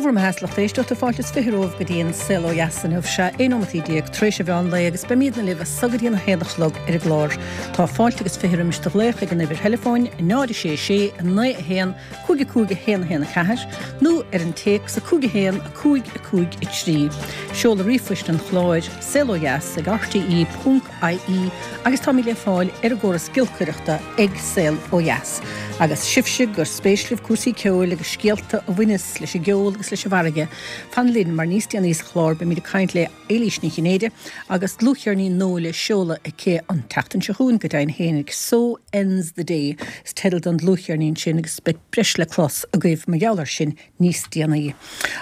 Dia bhur mbeatha, a lucht éisteachta, fáilte is 20 romhaibh go dtí an Saol Ó Dheas inniu. Sea, 11 nóimeataí tar éis an mheán lae agus beimídne libh as so go dtí an 1 a chlog ar an gclár. Tá fáilte agus 20 roimis do ghlaoch ag an uimhir theileafóin, 0 6 6 9 1 5 5 1 1 4, nó ar an téacs 5 1 5 5 3. Seoladh ríomhphoist an chláir, saolodheas ag rte ponc ie agus táimid le fáil ar an gcóras giolcaireachta ag Saol Ó Dheas. Agus sibhse gur spéis libh cúrsaí ceoil agus scéalta a bhaineas leis an gceol agus leis an bhfarraige, fan linn mar níos déanaí sa chlár beimid ag caint le Éilís Ní Chinnéide agus dlúthcheirnín nua le seoladh aici an tseachtain seo chugainn go deimhin fhéinig. So Ends the Day is teideal don dlúthcheirnín sin agus beidh breis le clos agaibh mar gheall air sin níos déanaí.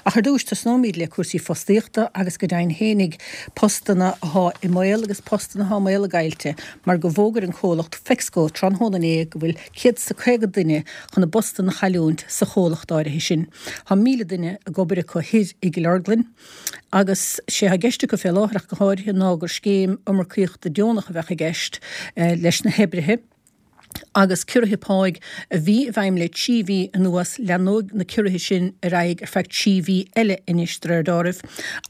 Ach ar dtúis tosnóimid le cúrsaí fostaíochta agus go deimhin fhéinig postanna athá i mbaol agus postanna athá i mbaol a gcaillte mar go bhfógair an comhlacht Fexco tráthnóna inné go bhfuil 150 duine chun a bpostanna a chailliúint sa chomhlacht áirithe sin. Thá 1,000 duine ag obair acu thoir i gCill Orglan agus sé thá i gceist acu fé láthair ach go háirithe ná gur scéim iomarcaíochta deonach a bheadh i gceist leis na hoibrithe. agus ciorruithe páigh a bhí i bhfeidhm le 3 mhí anuas, leanóidh na ciorruithe sin ar aghaidh ar feadh 3 mhí eile anois, de réir deáraimh,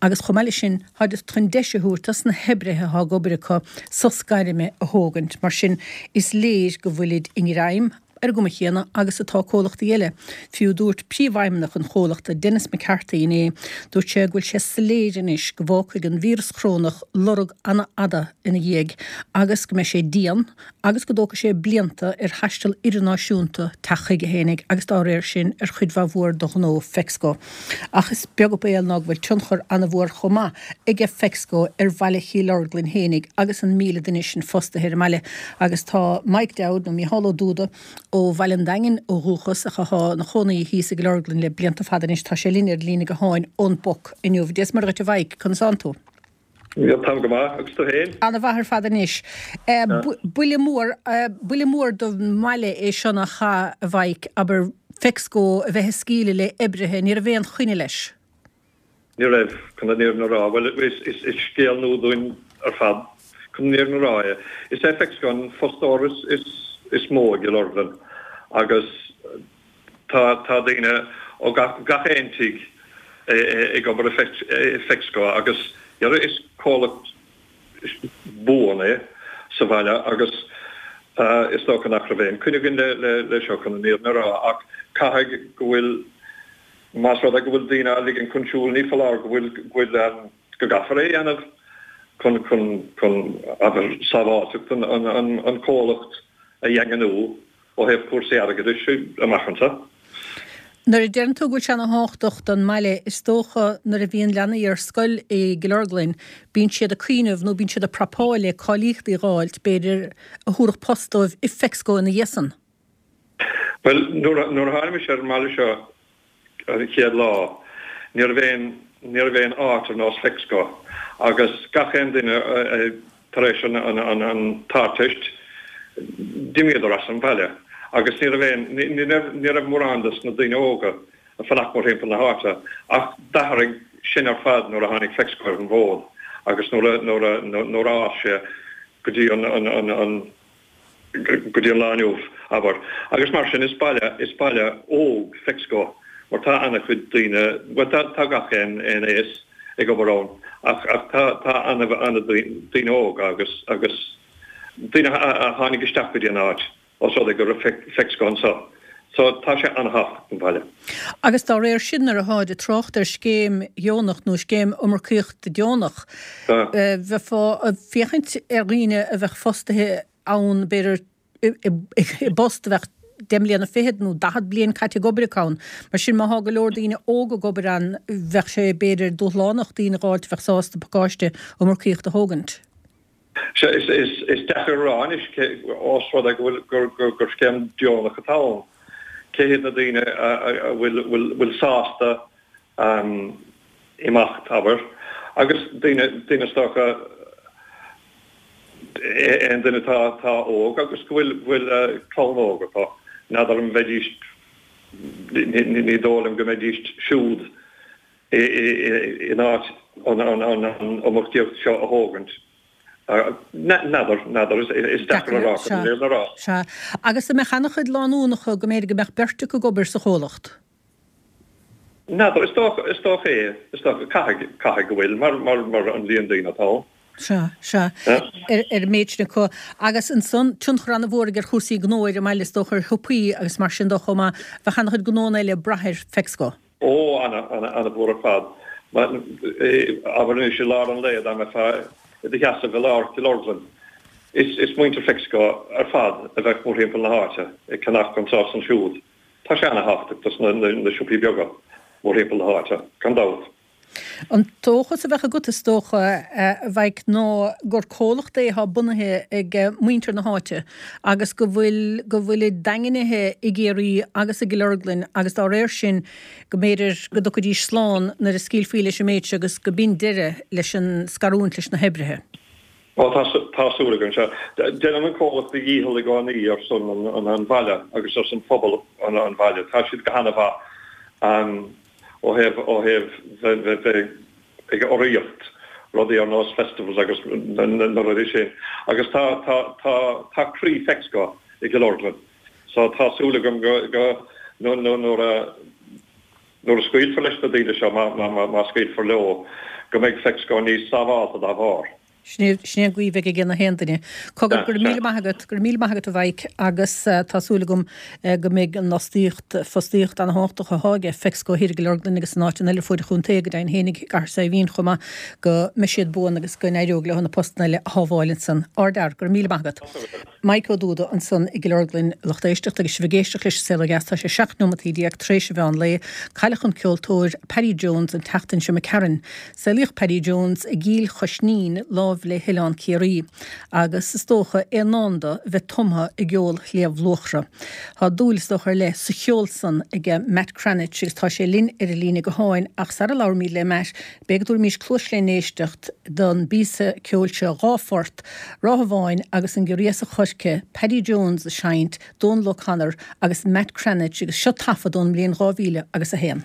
agus chomh maith leis sin, táid chun deis a thabhairt dos na hoibrithe atá ag obair acu sos gairme a thógaint. Mar sin, is léir go bhfuilid i ngreim ar an gcuma chéanna agus atá comhlachtaí eile. Fiú dúirt príomhfheidhmeannach an chomhlachta, Denis McCarthy inné, dúirt sé go bhfuil sé soiléir anois go bhfágfaidh an víreas chorónach lorg an-fhada ina dhiaidh agus go mbeidh sé dian, agus go dtógfaidh sé blianta ar thaisteal idirnáisiúnta teacht chuige fhéinig agus dá réir sin ar chuid mhaith mhór de ghnó Fexco. Ach is beag an baol ná go bhfuil tionchar an-mhór chomh maith aige Fexco ar bhaile Chill Orglan fhéinig agus an 1,000 duine sin fostaithe ar an mbaile. Agus tá Mike Dowd, nó Mícheál Ó Dúda, ó Bhaile an Daingin ó dhúchas ach athá ina chónaí thíos i gCill Orglan le blianta fada anois, tá sé linn ar an líne gutháin ón bPoc inniu. Dia is Muire dhuit a Mhaidhc, conas tánn tú? Táim go maith, agus tú féin? Ana mhaith ar fad anois. Buille mór, buille mór don mbaile é seo nach ea, a Mhaidhc, abair, Fexco a bheith ag scaoileadh le oibrithe, ní raibh aon choinne leis. Ní raibh, chun an fhírinne a rá. Bhuel, is scéal nua dúinn ar fad, chun an fhírinne a rá é. Is é Fexco an fostóir is mó i gCill Orglan agus Tá tá daoine ó gach gach aon tigh ag obair i Fexco agus is comhlacht buan é sa bhaile agus is dócha nach raibh aon coinne againn le le seo chun an fhírinne a rá ach caithfidh go bhfuil más rud é go bhfuil daoine á ligean chun siúil ní foláir go bhfuil go bhfuil go gcaithfear é a dhéanamh chun chun chun abair sábháilteacht an an an comhlacht a dhaingniú. ó thaobh cúrsaí airgeadais amach anseo. Nuair a deireann tú go bhfuil sé ana thábhachtach don mbaile, is dócha nuair a bhíonn leanaí ar scoil i gCill Orglan, bíonn siad ag cuimhneamh nó bíonn siad ag prapáil le cáilíochtaí a dh'fháilt, b'fhéidir, a thabharfadh post dóibh i Fexco ina dhiaidh san. Bhuel, nuair a tháinig mise ar an mbaile seo an chéad lá, ní raibh aon, ní raibh aon áit ar nós Fexco agus gach aon duine tar éis an, an, an, an tArdteist, d'imíodar as an bhaile agus ní raibh aon, ní, ní raibh, ní raibh mórán des na daoine óga ag fanacht mórthimpeall na háite ach d'athraigh sin ar fad nuair a tháinig Fexco ar an bhfód agus nuair a, nuair a, nuair a fhás sé go dtí an, an, an, an. go dtí an lá inniu, abair. Agus mar sin, is baile, is baile óg Fexco, mar tá ana-chuid daoine, bhuel tá, tá gach aon, aon aos ag obair ann, ach, ach tá, tá ana, ana daoine óga agus, agus daoine a, a tháinig isteach go dtí an áit, os rud é go raibh Fexco anseo. So tá sé ana-thábhachtach don bhaile. Agus dá réir sin, nuair atháid ag trácht ar scéim dheonach nó scéim iomarcaíochta deonach, bheifeá ag féachaint ar dhaoine a bheadh fostaithe ann, b'fhéidir i bpost a bheadh deich mbliana fichead nó 40 bliain caite ag obair acu ann. Mar sin, má thá go leor daoine óga ag obair ann, bheadh sé, b'fhéidir, dúshlánach daoine a dh'fháilt a bheadh sásta pacáiste iomarcaíochta a thógaint. Sea, is deacair a rá anois, ós rud é go bhfuil, gur scéim deonach atá ann, cé hiad na daoine a bhfuil sásta imeacht, abair, agus daoine, daoine is dócha, aon duine atá óg agus go bhfuil clann óg acu, n'fheadar an mbeidís, ní dóigh liom go mbeidís siúd in áit an iomarcaíocht seo a thógaint. N'fheadar, n'fheadar, is deacair a rá, chun an fhírinne a rá. Sea. Agus an mbeadh an-chuid lánúnacha go mb'fhéidir go mbeadh beirt acu ag obair sa chomhlacht? N'fheadar, is dócha, is dócha é, is dócha, caithfidh, caithfidh go bhfuil, mar, mar, mar an líon daoine atá ann. Sea, sea. Ar, ar an méid sin acu. Agus ansan, tionchar an-mhór aige ar chúrsaí gnó ar an mbaile, is dócha, ar shiopaí agus mar sin dó chomh maith. Bheadh an-chuid gnóanna eile ag brath ar Fexco. Ó, ana, ana, ana-mhór ar fad. Mar, abair anois i lár an lae, dá mbeifeá i do sheasamh i lár Chill Orglan, is, is muintir Fexco ar fad a bheadh mórthimpeall na háite, ag ceannach anseo is ansiúd. Tá sé ana-thábhachtach dos na siopaí beaga mórthimpeall na háite, gan dabht. An dóchas a bheadh agat, is dócha, a Mhaidhc, ná gur comhlacht é atá bunaithe ag muintir na háite agus go bhfuil, go bhfuilid daingnithe i gCiarraí agus i gCill Orglan agus dá réir sin go mb'fhéidir go dtiocfaidís slán nuair a scaoilfí leis an méid seo agus go b'in deireadh leis an scarúint leis na hoibrithe. Ó, tá, tá súil agam, sea. Déanann an comhlacht a dhícheall i gcónaí ar son an bhaile agus ar son phobal an bhaile. Tá siad go hana-mhaith ó thaobh, ó thaobh bheith ag urraíocht rudaí ar nós festivals agus na rudaí sin. Agus tá, tá, tá, tá croí Fexco i gCill Orglan. So tá súil agam go, go, nuair a, nuair a scaoilfear leis na daoine seo, má, má, má scaoilfear leo, go mbeidh Fexco níos sábhálta dá bharr. Sin é an guí a bheidh ag na haon duine. Cogar, go raibh míle maith agat, go raibh míle maith agat a Mhaidhc agus tá súil agam go mbeidh an fhostaíocht, fostaíocht ana-thábhachtach atá aige Fexco thiar i gCill Orglan agus in áiteanna eile ar fuaid an chontae, go deimhin féinig i gCathair Saidhbhín chomh maith, go mbeidh siad buan agus go n-éireoidh leo na postanna eile a shábháil ansan. Ardfhear, go raibh míle maith agat. Maidhc Ó Dúda ansan i gCill Orglan, lucht éisteachta agus sibh ag éisteacht leis an Saol Ó Dheas, tá sé 17 neomataí tar éis an mheán lae. Cailleadh an ceoltóir Paddy Jones an tseachtain seo imigh tharainn. Saolaíodh Paddy Jones i gCill Choisnín, láimh le hOileán Ciarraí, agus is dócha é i ndán dó a bheith tumtha i gceol Shliabh Luachra. Tá dúil is dócha ar leith sa cheol san aige Matt Cranitch agus tá sé linn ar an líne gutháin ach sara labhraímid le Matt, b'fhéidir go dtabharfaimis cluas lén éisteacht don bpíosa ceoil seo, 2 phort, Ráth Bháin agus an Giorria sa Choirce, Paddy Jones ag seinnt, Dónal O'Connor agus Matt Cranitch agus seo taifead ón mbliain 2000 agus 1.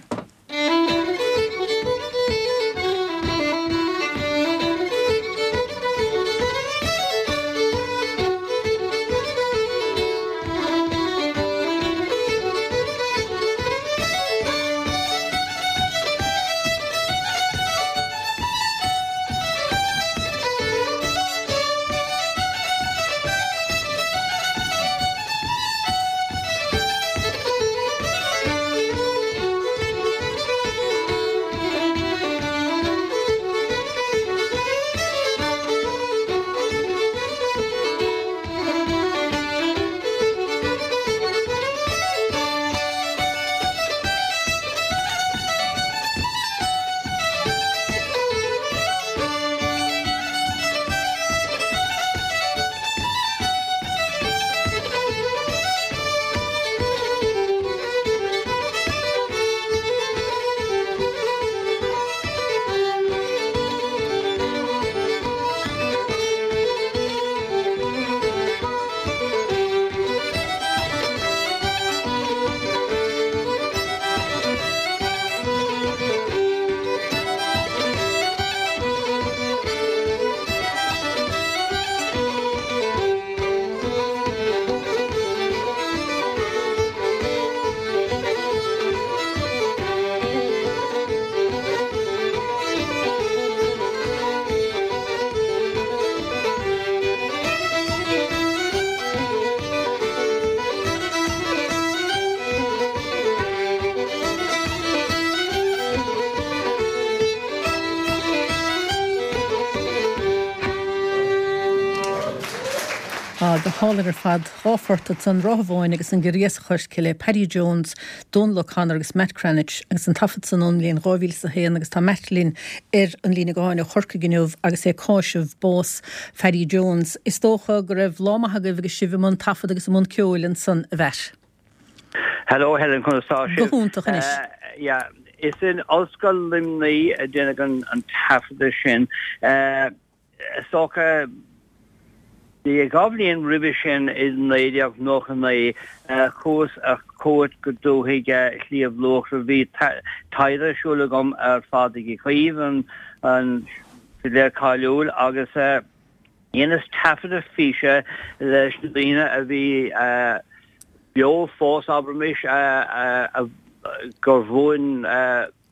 Á, go hálainn ar fad. 2 phort ansan, Ráth Bháin agus An Giorria sa Choirce le Paddy Jones, Dónal O'Connor agus Matt Cranitch agus an taifead san ón mbliain 2001 agus tá Matt linn ar an líne gutháin ó Chorcaigh inniu agus é ag cáiseamh bás Phaddy Jones. Is dócha go raibh lá maith agaibh agus sibh i mbun taifead agus i mbun ceoil ansan, a Mhatt. Hello Helen, conas tá sibh? Go hiontach anois. Yeah, is in Ollscoil Luimnigh a déanadh an taifeadadh sin. Is dócha, 2 bhliain roimhe sin i 1999 chuas ar cuairt go dúthaigh Shliabh Luachra. Bhí taighde ar siúl agam ar Phádraig Uí Chaoimh, an fidléir cáiliúil, agus dheineas taifeadadh físe leis na daoine a bhí beo fós, abraimis, a. gur mhúin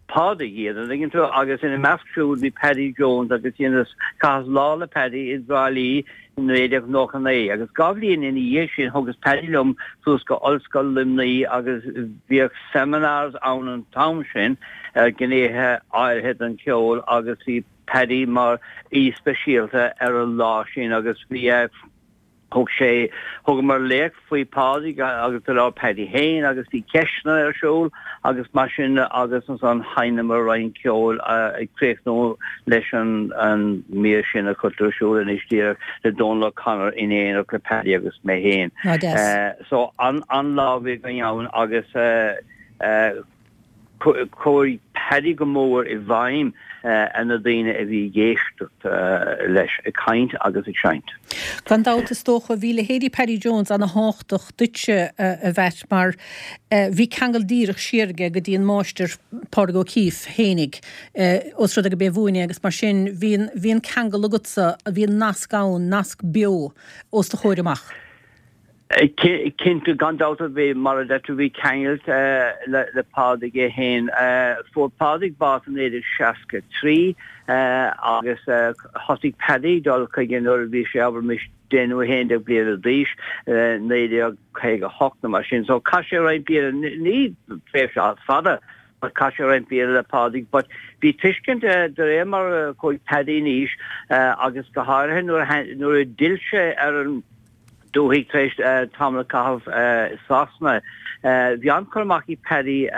Pádraig iad, an dtuigeann tú, agus ina measc siúd bhí Paddy Jones agus dheineas, chaitheas lá le Paddy i dTrá Lí i 1999 agus 2 bhliain ina dhiaidh sin thugas Paddy liom suas go Ollscoil Luimnigh agus bhíodh seminars ann an t-am sin ar ghnéithe áirithe den cheol agus bhí Paddy mar aoi speisialta ar an lá sin agus bhí Thug sé, thugamar léacht faoi Phádraig agus do labhair Paddy féin agus bhí ceisteanna ar siúl agus mar sin agus ansan sheinneamar roinnt ceoil ag críochnú leis an an mír sin a chuirtear ar siúl anois díreach le Dónal O'Connor in éineacht le Paddy agus mé féin. So an-lá a bhí againn ann agus Chuaigh Paddy go mór i bhfeidhm ar na daoine a bhí ag éisteacht leis ag caint agus ag seinnt. Gan dabht, is dócha, bhí leithéidí Paddy Jones ana-thábhachtach duitse, a Mheait, mar bhí ceangal díreach siar aige go dtí an máistir Pádraig Ó Cíobháin fhéinig, ós rud é go b'é a mhúin é agus mar sin bhí an, bhí an ceangal agatsa, bhí an nasc ann, nasc beo os do chomhair amach. Cinnte, gan dabht ar bith, mar a deir tú, bhí ceangal le Pádraig é féin. Fuair Pádraig bás i 1963 agus thosaigh Paddy dul chuige nuair a bhí sé, abraimis, 10 nó 11 bliana d'aois, 1958 nó mar sin. So chaith sé roinnt bliana, ní tréimhse fada, but chaith sé roinnt bliana le Pádraig. But bhí tuiscint de réir mar a chuaigh Paddy in aois agus go háirithe nuair a d'fhill sé ar an dúthaigh tar éis tamall a chaitheamh i Sasana. Bhí an-chur amach ag Paddy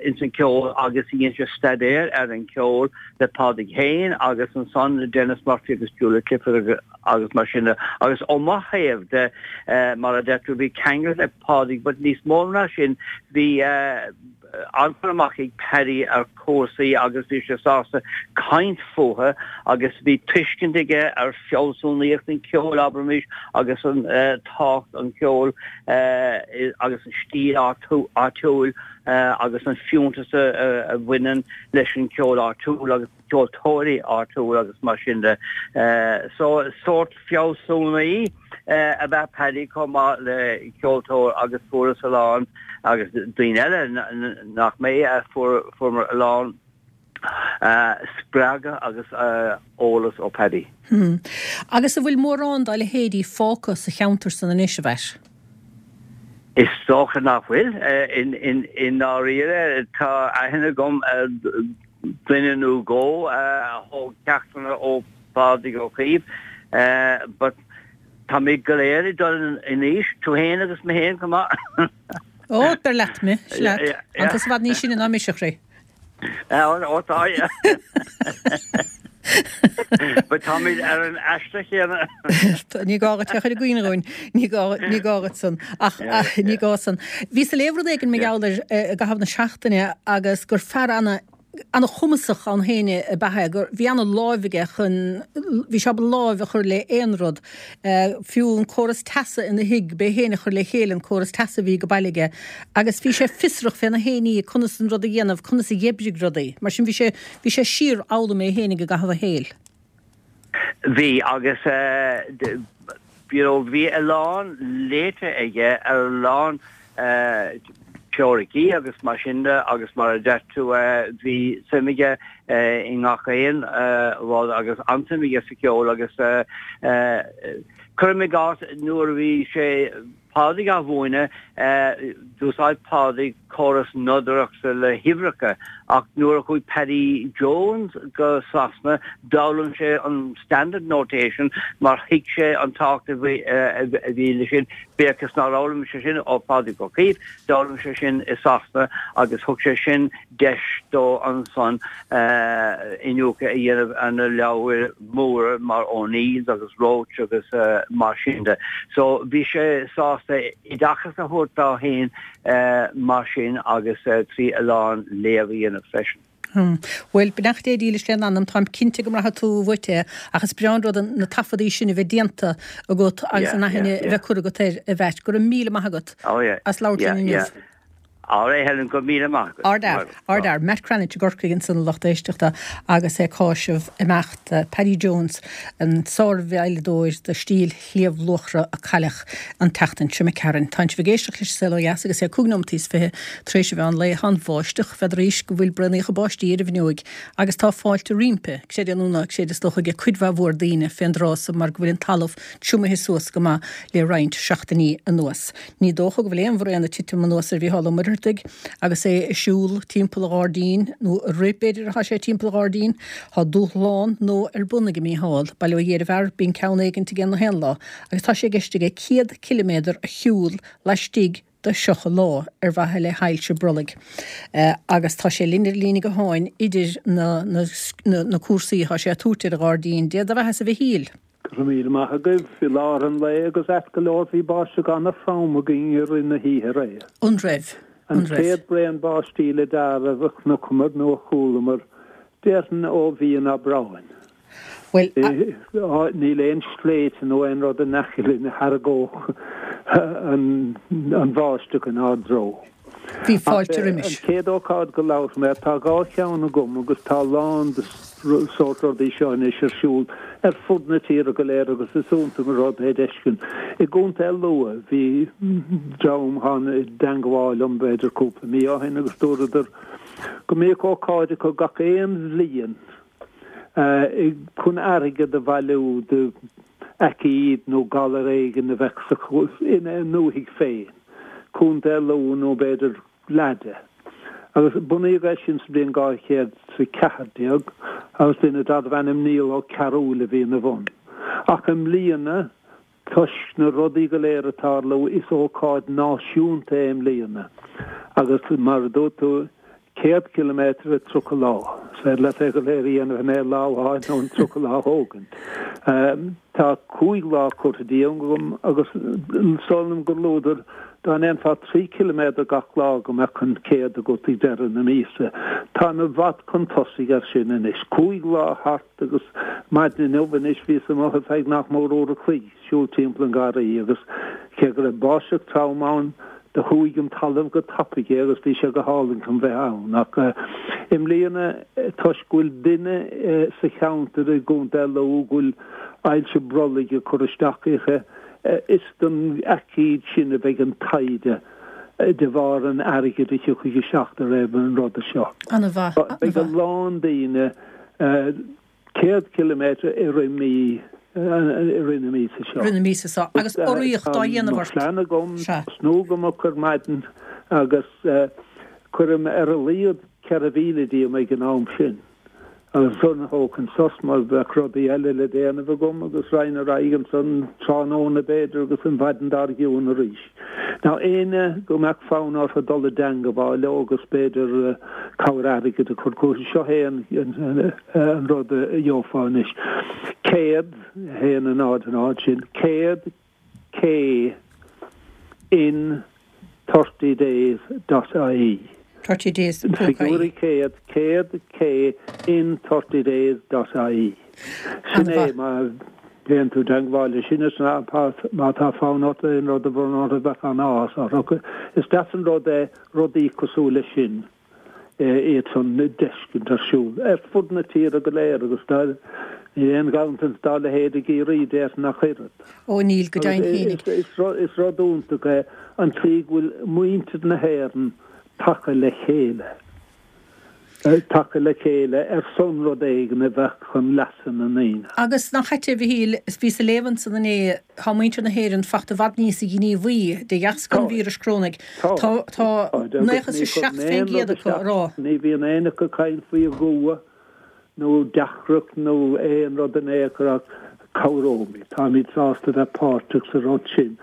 ins an cheol agus dhein sé staidéar ar an cheol le Pádraig féin agus ansan le Denis Murphy agus Julia Clifford agus mar sin de. Agus ó mo thaobh de, mar a deir tú, bhí ceangal le Pádraig but níos mó ná sin bhí an-chur amach ag Paddy ar chúrsaí agus bhí sé sásta caint fúthu agus bhí tuiscint aige ar fealsúnaíocht an cheoil, abraimis, agus an tábhacht an cheoil agus an stíl áitiúil agus an fiúntas a bhaineann leis an cheol áitiúil agus ceoltóirí áitiúil agus mar sin de. So, sórt fealsúnaí ab ea Paddy chomh maith le ceoltóir agus fuaireas a lán, agus daoine eile nach mé, fuaireamar a lán spreagadh agus eolas ó Paddy. Agus an bhfuil mórán dá leithéidí fágtha sa cheantar san anois, a Mheait? Is dócha nach bhfuil. I ndáiríre, tá aithne agam ar dhuine nó dhó a thóg ceachtanna ó Phádraig Ó Caoimh, but táimid go léir ag dul in aois, tú féin agus mé féin chomh maith. Ó, beir leat mé, sea leat. Tá tusa i bhfad níos sine ná mise, a chroí. Ó, tá, yeah. But táimid ar an aistear chéanna. Ní gá duit é a chur i gcuimhne dhúinn, ní gá, ní gá duit san. Ach ní gá san. Bhíos ag léamh rud éigin mar gheall air i gcaitheamh na seachtaine agus gur fear ana, ana-chumasach ann féin ab ea é, gur, bhí ana-láimh aige chun, bhí sé ábalta láimh a chur le aon rud, fiú an córas teasa ina thigh, b'é féin a chuir le chéile an córas teasa a bhí ag baile aige agus bhí sé fiosrach féna fhéiní conas an rud a dhéanamh, conas a dh'oibrigh rudaí. Mar sin bhí sé, bhí sé síorfhoghlaim é féinig i gcaitheamh a shaoil. Bhí, agus you know bhí a lán léite aige ar a lán teoiricí agus mar sin de agus mar a deir tú bhí suim aige i ngach aon rud agus an-suim aige sa cheol agus cuirim i gcás nuair a bhí sé Pádraig á mhúineadh, d'úsáid Pádraig córas nodaireachta le huimhreacha ach nuair a chuaigh Paddy Jones go Sasana d'fhoghlaim sé an standard notation mar thuig sé an tábhacht a bhí leis sin, bíodh is nár fhoghlaim sé sin ó Phádraig Ó Caoimh, d'fhoghlaim sé sin i Sasana agus thug sé sin deis dó ansan iniúchadh a dhéanamh ar na leabhair mhóra mar O'Neills agus Roche agus mar sin de. So bhí sé sásta oideachas a thabhairt dó féin mar sin agus trí a lán léamh a dhéanamh freisin. Bhuel, beannacht Dé dílis lena anam, táim cinnte go mbraithfidh tú uait é ach is breá an rud na taifeadaí sin a bheith déanta agat agus an aithne a bheith curtha agat air, a Mheait. Go raibh míle maith agat as labhairt linn inniu. Alright Helen, go raibh míle maith agat. Ardfhear, ardfhear. Matt Cranitch i gCorcaigh ansan a lucht éisteachta agus é ag cáiseamh imeacht Paddy Jones, an sárveidhleadóir de stíl Shliabh Luachra a cailleadh an tseachtain seo imigh tharainn. Tánn sibh ag éisteacht leis an Saol Ó Dheas agus é 25 nóimeataí tar éis an mheán lae. Tá an bháisteach, n'fheadaraís go bhfuil braonaíocha báistí ar an bhfuinneoig agus tá fáilte roimpi, creid é nó ná creid is dócha ag cuid mhaith mhór daoine fén dtráth so mar go bhfuil an talamh triomaithe suas go maith le roinnt seachtainí anuas. Ní dócha go bhfuil aon bhraon ag titim anuas ar Mhícheál Ó Muircheartaigh agus é ag siúl timpeall a ghairdín, nó ag rith, b'fhéidir, atá sé timpeall a ghairdín. Tá dúshlán nua ar bun ag Mícheál. Bail ó Dhia ar an bhfear, bíonn ceann éigint aige na haon lá, agus tá sé i gceist aige 100 ciliméadar a shiúl laistigh de 30 lá ar mhaithe le hailse brollaigh. Agus tá sé linn ar an líne gutháin idir na na cúrsaí atá sé ag tabhairt ar an ghairdín. Dia do bheathasa a Mhichíl! Go raibh míle maith agaibh. I lár an lae agus ait go leor bhí báisteach ana-throm againn i rith na hoíche aréir. An raibh? An chéad braon báistí le dealramh a chonaiceamar nó a chualamar, déarfainn ó mhí an Aibreáin. Bhuel, Níl aon sléibhte nó aon rud in aice linn a tharraingeodh an bháisteach inár dtreo. Bhí fáilte roimis. An chéad ócáid go labharfaidh mé, tá dhá cheann agam agus tá a lán de sórt rudaí seo anois ar siúl ar fud na tíre go léir agus is iontach an rud é d'fheiscint. I gContae Lú bhí dream tháinig i dteangmháil liom b'fhéidir cúpla mí ó shin agus dúradar go mbíodh ócáid acu gach aon bhliain chun airgead a bhailiú do aicíd nó galar éigin a bheadh sa ina ndúthaigh féin, Contae Lú nó b'fhéidir leath de. Agus bunaíodh é sin sa bhliain 214 agus duine darbh ainm Niall Ó Cearúil a bhí ina bhun. Ach i mbliana, toisc na rudaí go léir ag tarlú, is ócáid náisiúnta é i mbliana agus mar a dúirt tú, 100 ciliméadar i 30 lá. Is féidir leat é go léir a dhéanamh in aon lá amháin nó in 30 lá a thógaint. Tá 5 lá curtha díom agam agus is dóigh liom gur luadar dá ndéanfá 3 ciliméadar gach lá go mbeadh an 100 agat ag deireadh na míosa. Táim i bhfad chun tosaigh air sin anois. 5 lá thart agus maidin inniu anois bhíos amuigh ar feadh nach mór uair a chloig. siúl timpeall an gharraí agus cé go raibh báisteach trom ann do shúigh an talamh go tapaidh é agus bhí sé go hálainn chun bheith ann. Ach i mbliana toisc go bhfuil duine sa cheantar i gContae Lú go bhfuil ailse brollaigh ag cur isteach uirthi, is don aicíd sin a bheidh an taighde de bharr an airgid a thiocfaidh isteach de réir an ruda seo. An-mhaith, an-mhaith. Beidh a lán daoine. 100 ciliméadar i rith mí, i rith na míosa seo. Rith na míosa seo. Agus urraíocht á dhéanamh ort. Tá mo phlean agam tosnú go moch ar maidin agus cuirim ar a laghad 4,000 díom ag an am sin. Agus ansan thógfainn sos mar bheadh rudaí eile le déanamh agam agus raghainn ar aghaidh ansan tráthnóna b'fhéidir agus an mhaidin dár gcionn arís. Now éinne go mbeadh fonn orthu dul i dteangabháil leo agus b'fhéidir cabhair airgid a chur chucu, seo é an rud a gheofá anois. 100, 1 0 0, sin 100 K in 30 days dot ie. 30 days ponc ie. Figiúirí 100, 100 K in 30 days dot ie. Sin é má théann tú i dteangmháil leis sin is má tá fonn ort aon rud a bhronnadh orthu bheadh an-áthas orthu. Is deas an rud é rudaí cosúil leis sin iad san d'fheiscint ar siúl ar fud na tíre go léir agus níl aon ghanntanas dá leithéid i gCiarraí déarfainn ach oiread. Ó níl, go deimhin féinig. Is rud iontach é an tslí go bhfuil muintir na hÉireann tagtha le chéile. tagtha le chéile ar son rud éigin a bheadh chun leasa na ndaoine. Agus nach ait é, a Mhichíl, bhíos ag léamh ansan inné, tá muintir na hÉireann fachta i bhfad níosa gníomhaí de dheasca an víris corónaigh. Tá, tá 97% acu ag rá. Ní bhíonn éinne acu ag caint faoi dhua nó deacracht nó aon rud in aon chor ach cabhróimid, táimid sásta bheith páirteach sa rud sin.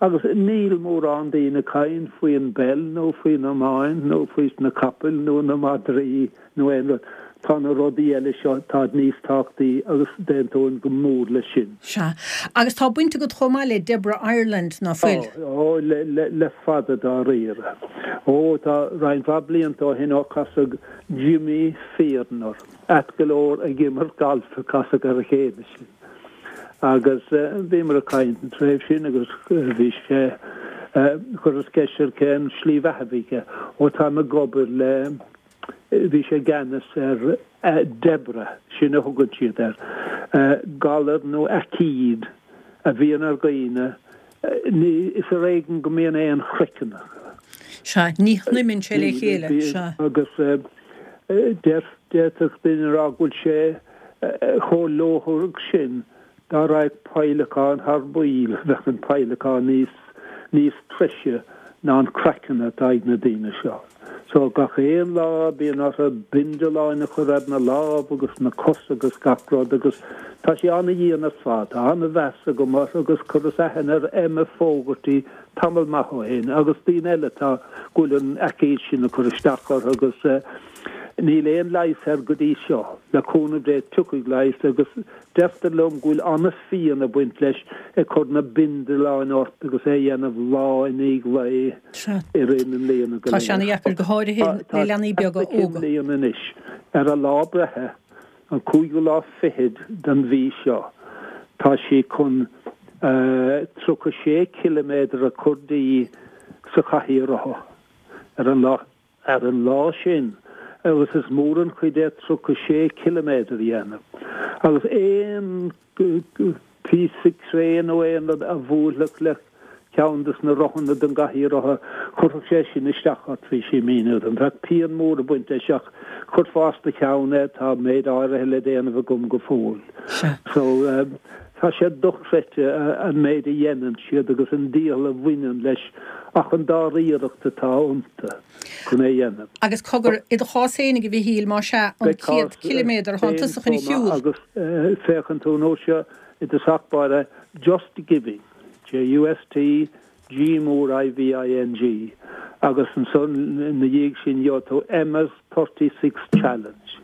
Agus níl mórán daoine ag caint faoin bpeil nó faoin iomáint nó faoi na capaill nó na madraí nó aon rud. Tá na rudaí eile seo, táid níos tábhachtaí agus d'aontóinn go mór leis sin. Sea. Agus tá baint agat chomh maith le Debra Ireland, ná fuil? Tá, ó, le, le fada dáiríre. Ó, tá roinnt mhaith blianta ó shin ó casadh Jimmy Fearon orm. Ait go leor ag imirt gailf a casadh ar a chéile sinn. Agus bhíomar ag caint an tréimhse sin agus bhí sé, chuireas ceist air cén slí bheatha a bhí aige. Ó táim ag obair le, bhí sé i gceannas ar Deborah, sin a thugann siad air, galar nó aicíd a bhíonn ar dhaoine, ní, is ar éigean go mbíonn aon chraiceann acu. Sea, ní shniomann sé le chéile, sea. Agus d'fhéadfadh duine a rá go bhfuil sé chomh lóthar sin Dá raghadh peidhleacán thar bpoll, bheadh an peidhleacán níos, níos treise ná an craiceann atá ag na daoine seo. So, gach aon lá bíonn orthu bindealáin a chur ar na lámha agus na cosa agus gach rud agus tá sé ana-dhian ar fad. Tá ana-mheas agam orthu agus chuireas aithne ar Emma Fogarty tamall maith ó shin agus daoine eile atá, go bhfuil an aicíd sin ag cur isteach orthu agus eh, níl aon leigheas air go dtí seo. Le cúnamh Dé tiocfaidh leigheas agus Deirtear liom go bhfuil an-phian ag baint leis ag cur na bindealáin ort agus é a dhéanamh lá i ndiaidh lae i rith na mbliana go léir. Tá sé ana-dheacair, go háirithe le leanaí beaga óga. I mbliana anois, ar a lá breithe, an cúigiú lá fichead den mhí seo, tá sí chun 36 ciliméadar a chur di sa chathaoir rotha ar an lá. Ar an lá sin, agus is mór an chuid é 36 ciliméadar a dhéanamh, agus aon phíosa cré nó aon rud a bhuailfeadh le ceann des na rothanna den gcathaoir rotha, chuirfeadh sé sin isteach ort, bhí sí ag míniú dom. Bheadh pian mhór ag baint leis ach chuirfeá as do cheann é, tá méid áirithe le déanamh agam go fóill. So, tá sé dochreidte an méid a dhéanann siad agus an dícheall a bhaineann leis ach an dáiríreacht atá iontu chun é a dhéanamh. Agus cogar, i do chás fhéinig, a Mhichíl, más ea, an 100 ciliméadar thánn tusa chun a shiúl. Agus féachann tú an uair seo i dtosach báire Just Giving, J-U-S-T, G mór I-V-I-N-G, agus ansan ina dhiaidh sin gheobhaidh tú Emma's 36 Challenge.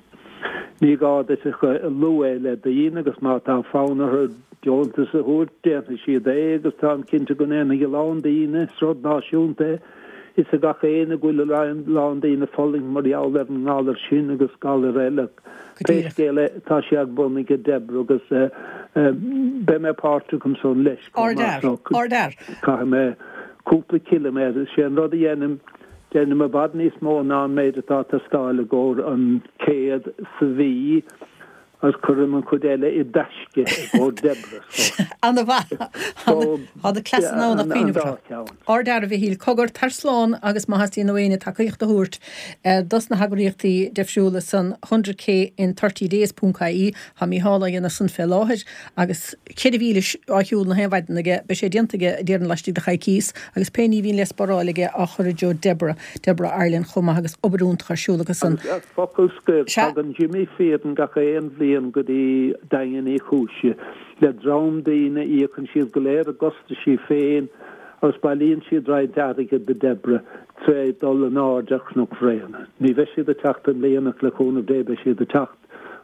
Ní gá duit ach a lua é le daoine agus má tá fonn orthu deontas a thabhairt, déanfaidh siad é agus táim cinnte go ndéanfaidh a lán daoine, is rud náisiúnta é, fhios ag gach éinne go bhfuil a lán daoine ag fulaingt mar gheall ar an ngalar sin agus galair eile. Pé scéal é, tá sé ar bun ag Deborah agus beidh mé páirteach ansan leis chomh maith so caithfidh mé cúpla ciliméadar, sé an rud a dhéanaim, Déanaim i bhfad níos mó ná an méid atá ag teastáil i gcomhair an 100 sa mhí agus cuirim an chuid eile i dtaisce i gcomhair Deborah so. Ana-mhaith. Tá do cleasanna ann ach cuimhneamh orthu. Ardfhear, a Mhichíl. Cogar, tar slán agus má theastaíonn ó éinne tacaíocht a thabhairt dos na heagraíochtaí difriúla san hundred K in thirty days ponc ie, tá Mícheál á dhéanamh san fé láthair agus 4 mhíle á shiúl na haon mhaidin aige, beidh sé déanta aige, déarfainn, laistigh de choicíos, agus pé ní a bhíonn le spáráil aige á chur i dtreo Deborah, Deborah Ireland chomh maith agus obair iontach ar siúl acu san. Agus focal scoir, tagann Jimmy Fearon gach aon bhliain go dtí Daingean Uí Chúis le dream daoine, íocann siad go léir a gcostaisí féin agus bailíonn siad roinnt airgid do Deborah tré dul in airde ar Chnoc Bhréanainn. Ní bheidh siad ag teacht i mbliana ach le cúnamh Dé beidh siad ag teacht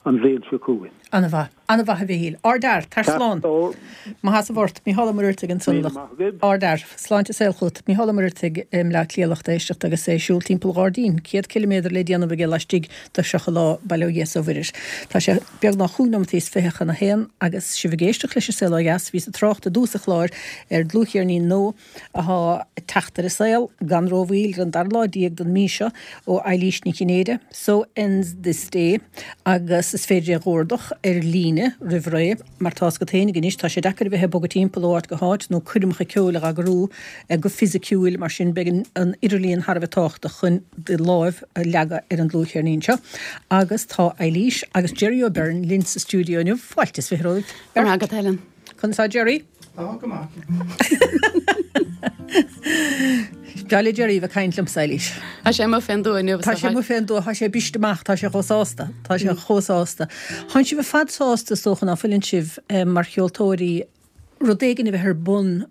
an bhliain seo chugainn. Ana-mhaith. Ana-mhaith a Mhichíl. Ardfhear. Tar slán. Maith as a bhort. Mícheál Ó Muircheartaigh ansan. Ardfhear. Sláinte is saol chugat. Mícheál Ó Muircheartaigh i mBleá Cliath lucht éisteachta agus é ag siúl timpeall an ghairdín. 100 ciliméadar le déanamh aige laistigh de 30 lá, bail ó Dhia is ó Mhuire air. Tá sé beagnach chúig nóimeataí is fiche chun a haon agus sibh ag éisteacht leis an Saol Ó Dheas. Bhíos ag trácht i dtús an chláir ar dlúthcheirnín nua athá ag teacht ar an saol gan rómhoill ar an dara lá déag den mí seo ó Eilís Ní Chinnéide, So Ends This Day, agus is féidir é a dh'ordach ar líne roimh ré, mar tá fhios agat fhéinig anois, tá sé deacair a bheith ag bogadh timpeall ó áit go háit nó coirmeacha ceoil a dh'eagrú go fisiciúil, mar sin beidh an idirlíon thar a bheith tábhachtach chun do láimh a leagadh ar an dlúthcheirnín seo. Agus tá Eilís agus Gerry O'Beirne linn sa stiúideo inniu, fáilte is fiche romhaibh. Go raibh maith agat, Helen. Conas tá Gerry? Tá go maith. Is breá le Gerry a bheith ag caint liomsa, Eilís. Tá sé amuigh fén dtuath inniu. Tá sé amuigh fén dtuath, tá sé briste amach, tá sé chomh sásta, tá sé chomh sásta. Tánn sibh ar fad sásta, is dócha, ná fuileann sibh, mar cheoltóirí, rud éigin a bheith ar bun,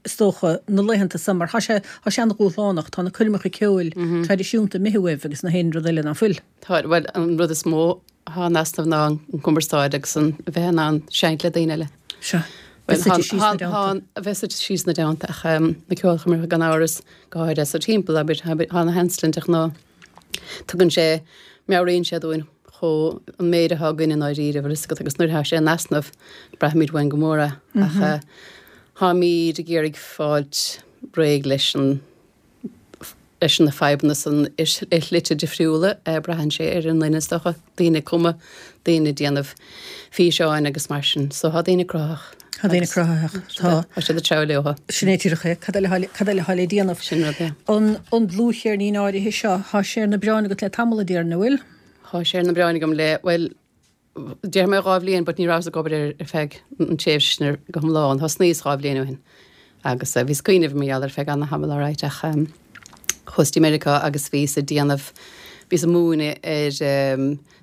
is dócha, na laethanta so, mar tá sé, tá sé an-dhúshlánach, tá na coirmeacha ceoil traidisiúnta imithe uaibh agus na haon rud eile, ná fuil? Tá, bhuel, an rud is mó atá in easnamh ná an cumarsáid agus an a bheith in ann seinnt le daoine eile. Sea. Bheith suite síos ina dteannta. A bheith suite síos ina dteannta ach na ceolchoirmeacha gan amhras, go háirithe sa timpeall, abair, tá na Anslin de ghnáth. Tugann sé, meabhraíonn sé dúinn chomh, an méid atá againn i ndáiríre, bhfuil fhios agat, agus nuair atá sé in easnamh, braithimid uainn go mór é. Ach táimid ag iarraidh fáilt réidh leis an. leis na fadhbanna san i slite difriúla. Braitheann sé ar an nduine is dócha, daoine ag cumadh, daoine ag déanamh físeáin agus mar sin. So tá daoine cruthaitheach. Tá daoine cruthaitheach. Tá. Tá siad ag treabhadh leo. Sin é díreach é. Cad eile, cad eile atá le déanamh? Sin rud é. An, an dlúthcheirnín áirithe seo, tá sé ar na bioráin agat le tamall a déarfainn, an bhfuil? Tá sé ar na bioráin agam le, bhuel, Déarfaidh mé 2 bhliain but ní rabhas ag obair air ar feadh an tréimhse sin go hiomlán. Thosnaíos 2 bhliain ó shin agus bhíos ag cuimhneamh mar gheall air feadh ana-thamaill alright ach chuas dtí Meiriceá agus bhíos ag déanamh, bhíos ag múineadh ar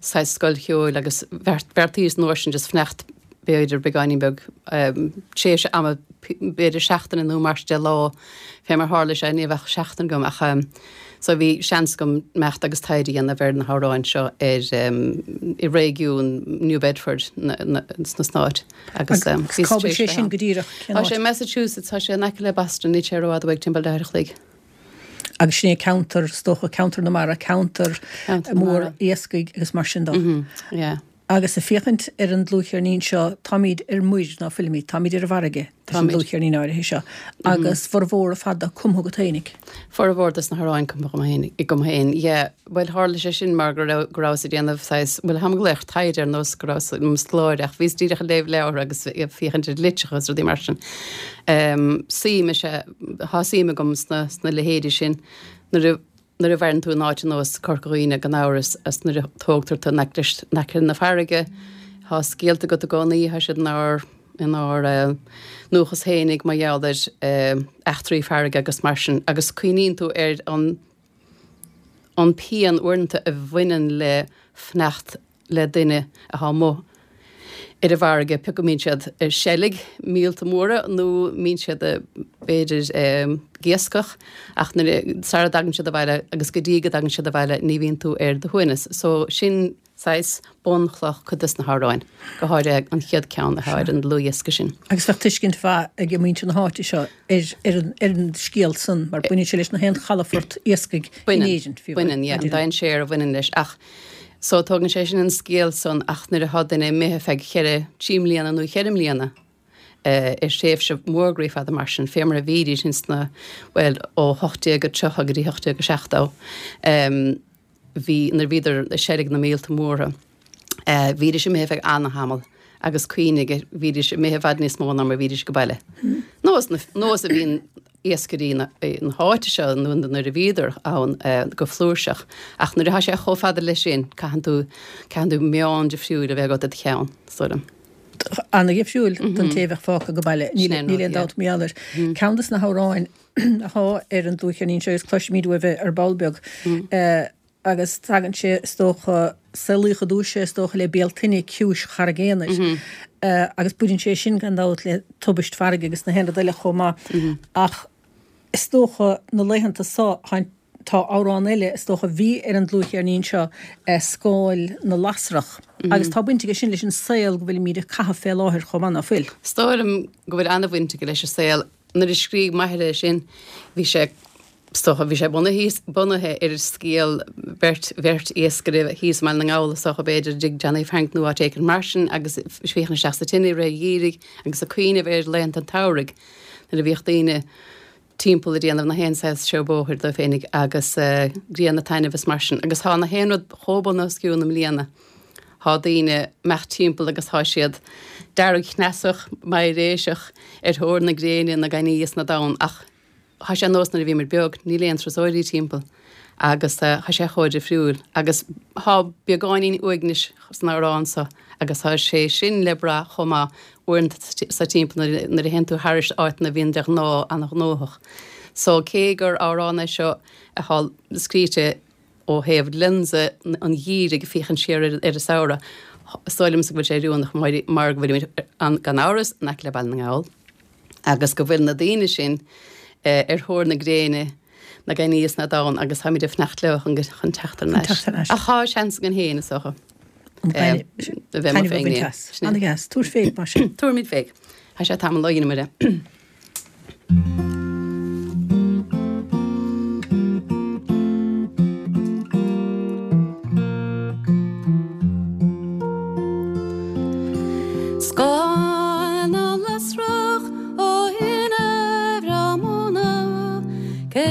saghas scoil cheoil agus bheartaíos an uair sin just fanacht b'fhéidir beagáinín beag tréimhse ama b'fhéidir seachtain nó mar sin de lá fé mar tharla sé ní raibh ach seachtain agam ach so bhí seans agam imeacht agus taighde a dhéanamh ar na hamhráin seo ar i réigiún New Bedford sna Stáit agus bhí Cá bhfuil sé sin go díreach? Tá sé i Massachusetts, tá sé in aice le Boston, níl sé rófhada uaidh, timpeall leathuair a chloig. Agus sin é ceantar, is dócha, ceantar na mara, ceantar mór iascaigh agus mar sin de. Yeah. Agus ag féachaint ar an dlúthcheirnín seo, táimid ar muir, ná fuilimid? Táimid ar an bhfarraige leis an dlúthcheirnín áirithe seo. Agus formhór ar fad de cumtha agat fhéinig. Formhór dos na hamhráin cumtha agam féin, yeah. Bhuel, tharla sé sin mar go raibh, go rabhas ag déanamh saghas, bhuel, táim ag glaoch taighde ar nós go rabhas i mo scoláire ach bhíos díreach ag léamh leabhartha agus ag féachaint ar litreacha agus rudaí mar sin. Suim is ea, tá suim agam sna, sna leithéidí sin. Nuair a. Nuair a mhaireann tú in áit ar nós Corca Dhuibhne gan amhras is nuair a tógtar tú in aice in aice na farraige, tá scéalta agat i gcónaí, tá siad inár inár ndúchas fhéinig mar gheall ar eachtraí farraige agus mar sin agus cuimhníonn tú ar an an pian uaireanta a bhaineann le fanacht le duine atá amuigh ar an bhfarraige, pé acu mbíonn siad ag seilg míolta móra nó mbíonn siad b'fhéidir ag iascach ach nuair a, sara dtagann siad abhaile agus go dtí go dtagann siad abhaile ní bhíonn tú ar do shuaimhneas. So sin saghas bunchloch cuid des na hamhráin, go háirithe an chéad ceann atá ar an dlúthdhiosca sin. Agus bheadh tuiscint mhaith ag muintir na háite seo ar an scéal san mar baineann sé leis na haon chalafort iascaigh in Éirinn, fiú. Baineann, yeah, an dainséar a bhaineann leis ach So tógann sé sin an scéal san ach nuair atá duine imithe feadh cheithre, trí mbliana nó cheithre mbliana ar thréimhse mhór groí fada mar sin, fé mar a bhídís ins na, bhuel, ó 1830 go dtí 1870, bhí, nuair a bhíodar ag seilg na míolta móra, bhídís imithe feadh ana-thamall agus cuimhnigh, bhídís imithe i bhfad níos mó ná mar a bhídís ag baile. Nós, nós a bhíonn. iascairí na háite seo nó nuair a bhíodar ann go flúirseach. Ach nuair atá sé chomh fada leis sin, caitheann tú, caitheann tú meon difriúil a bheith agat i do cheann, is dóigh liom. Ana-dhifriúil don té a bheadh fágtha ag baile, níl aon dabht mar gheall air. Ceann de na hamhráin atá ar an dlúthcheirnín seo agus cloisfimid uaibh é ar ball beag, Agus tagann sé, is dócha, samhlaíodh ar dtús é, is dócha, le Bealtaine Ciumhais Charraig Aonair. Agus baineann sé sin, gan dabht, le tubaist farraige agus na haon rud eile chomh maith. Ach is dócha, na laethanta so, tá amhrán eile, is dócha, a bhí ar an dlúthcheirnín seo, Scáil na Lasrach. Agus tá baint aige sin leis an saol go bhfuilimid ag caitheamh fé láthair chomh maith, ná fuil? Is dóigh liom go bhfuil an-bhaint aige leis an saol. Nuair a scrígh m'athair é sin, bhí sé, is dócha, bhí sé bunaithe, bunaithe ar scéal beirt, bheirt iascaire thíos i mBaile na nGall, is dócha, b'fhéidir, i dtigh Johnny Frank nó áit éicint mar sin agus ag féachaint isteach sa tine i rith an gheimhridh agus ag cuimhneamh ar laethanta an tsamhraidh nuair a bhíodh daoine timpeall ag déanamh na haon saghas seó bóthair dóibh féinig agus grian ag taitneamh is mar sin. Agus tá na haon rud chomh bunoscionn i mbliana. Thá daoine ag imeacht timpeall agus thá siad deargchneasach, meidhréiseach, ar thóir na gréine, na gainní is na dtonn ach thá sé nós nuair a bhíomar beag, níl aon turasóirí timpeall agus thá sé chomh difriúil agus thá beagáinín uaignis san amhrán so agus thá sé sin le brath chomh maith uaireanta sa timpeall nuair a théann tú thairis áiteanna a bhíonn de ghnáth an-ghnóthach. So cé gur amhrán é seo athá scríte Ó thaobh lionsa an gheimhridh ag féachaint siar ar an samhradh, is dóigh liomsa go bhfuil sé oiriúnach mar go bhfuilimid, gan amhras, in aice le Baile na nGall agus go bhfuil na daoine sin ar thóir na gréine, na gainní is na dtonn agus táimid ag fanacht leo chun teacht thar n-ais. Ach tá seans againn féin, is dócha, a bheith amuigh fén ngréin. Ana-dheas. Tabhair féig mar sin. Tabharfaimid féig. Tá sé tamall ó dheineamar é. Scáil na lasrach ó thine bhreá móna, cé.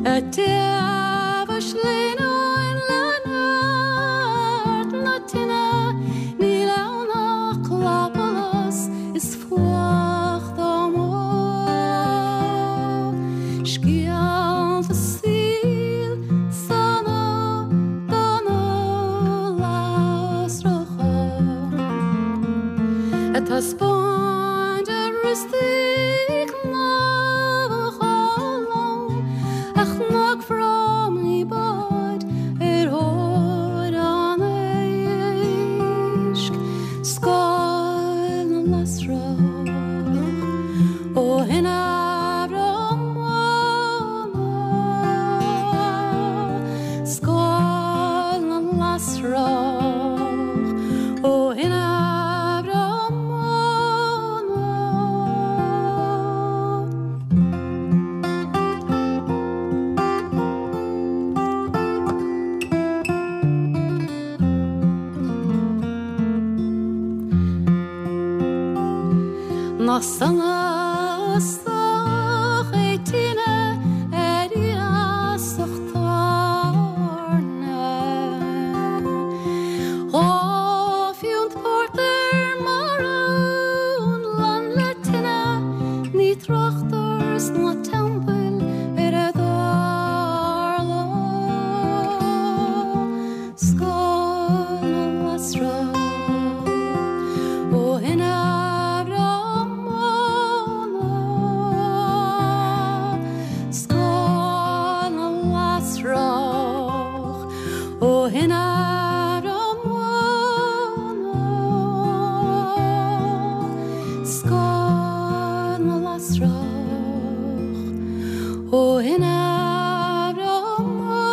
Ag taobh sleamhnáin le neart na tine, níl ann ach clapsholas is fuacht amuigh. Scéalta saoil sona dona lasracha ag taispeáint a wriostaí cnámhacha lom a chnocfhrámaí báid ar thóir an éisc, scáil na lasrach ó thine bhreá móna, scáil na lasrach ó thine bhreá móna. Nach sona sách é tine ar iasacht tairne. Dá phiúnt pórtair maraon lán le tine, ní tráchtar sna teampaill ar a dtarla. Scáil na lasrach ó thine bhreá móna. Scáil na lasrach ó thine bhreá móna. Scáil na lasrach ó thine bhreá móna.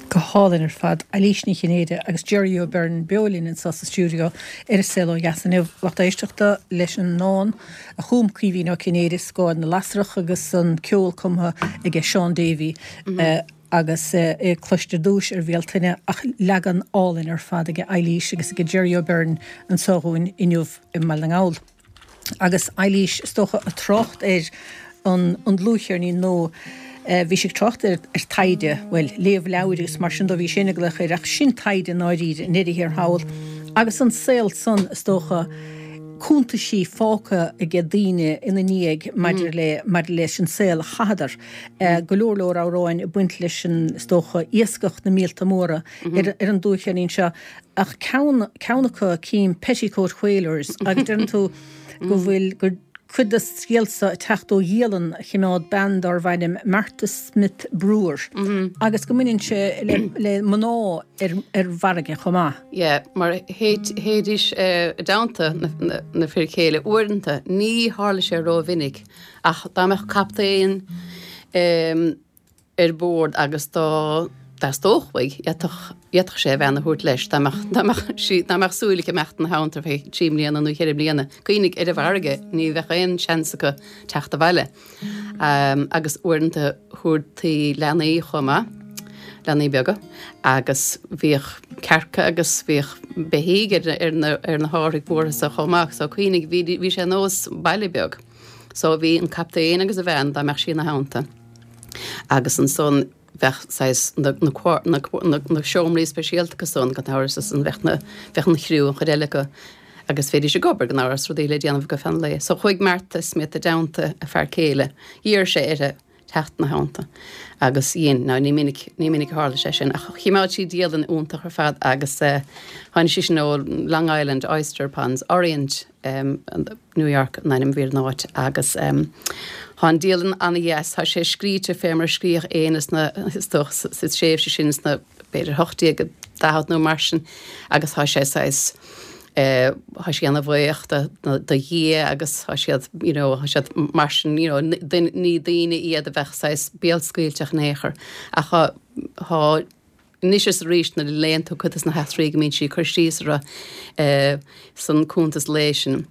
Go hálainn ar fad. Eilís Ní Chinnéide agus Jerry O'Beirne beo linn anseo sa stiúideo ar An Saol Ó Dheas inniu. Lucht éisteachta leis an ndán a chum Caoimhín Ó Cinnéide, Scáil na Lasrach agus an ceol cumtha aige Seán Davey agus é cloiste ar dtúis ar Bhéaltaine ach leagan álainn ar fad aige Eilís agus aige Jerry O'Beirne anseo dhúinn inniu i mBaile na nGall. Agus Eilís, is dócha, ag trácht ar an dlúthcheirnín nó bhí sí ag trácht ar taighde, bhuel, léamh leabhair agus mar sin dó, bhí sin ag glaoch air, ach sin taighde i ndáiríre, i ndeireadh thiar thall. Agus an saol san, is dócha, cuntaisí fágtha aige daoine ina ndiaidh maidir le, maidir leis an saol a chaitheadar. Go leor leor amhráin ag baint leis an, is dócha, iascach na míolta móra ar an dlúthcheirnín seo. Ach ceann, ceann acu, cím Petticoat Whalers agus deireann tú go bhfuil, gur cuid de scéal seo ag teacht ó dhialann a chimeád bean dárbh ainm Martha Smith Brewer agus go mbaineann sé le, le mná ar, ar bhfarraige chomh maith. Yeah, mar théidís i dteannta na, na, na fir chéile uaireanta, ní tharla sé rómhinic ach dá mbeadh captaen ar bord agus dá dteastódh uaidh, d'fhéadfadh, d'fhéadfadh sé a bhean a thabhairt leis dá mbeadh, dá mbeadh sí, dá mbeadh súil aici imeacht ina theannta ar feadh trí mbliana nó cheithre bliana. Cuimhnigh, ar an bhfarraige, ní bheadh aon seans acu teacht abhaile. Agus uaireanta thabhartaí leanaí chomh maith, leanaí beaga, agus bhíodh cearca agus bhíodh beithígh ar, ar na, ar na hárthaigh mhóra so chomh maith. So cuimhnigh, bhí, bhí sé ar nós baile beag. So bhí an captaen agus a bhean, dá mbeadh sí ina theannta. Agus ansan bheadh saghas na, na, na, na, na seomraí speisialta acu san, gan amhras, is an bheadh na, bheadh an chriú, an chuid eile acu, agus bheidís ag obair gan amhras, rudaí le déanamh acu feadh an lae. So chuaigh Martha Smith i dteannta a fear céile, d'iarr sé uirthi teacht ina theannta agus dhein. Now ní minic, ní minic a tharla sé sin ach chimeád sí dialann iontach ar fad agus eh, tháinig sí sin ó Long Island, Oyster Ponds, Orient, New York an ainm a bhí ar an áit agus tá an dialann ana-dheas, tá sé scríte fé mar a scríodh éinne sna, is dócha, sa tréimhse sin sna b'fhéidir 1840 nó mar sin agus tá sé saghas tá sí ana-bhuíoch do do Dhia agus tá siad you know tá siad mar sin you know ní daoine iad a bheadh saghas béalscaoilteach in aon chor ach tá tá Anois is arís nuair a léann tú cuid de na heachtraí go mbíonn sí ag cur síos orthu san cuntas lae sin,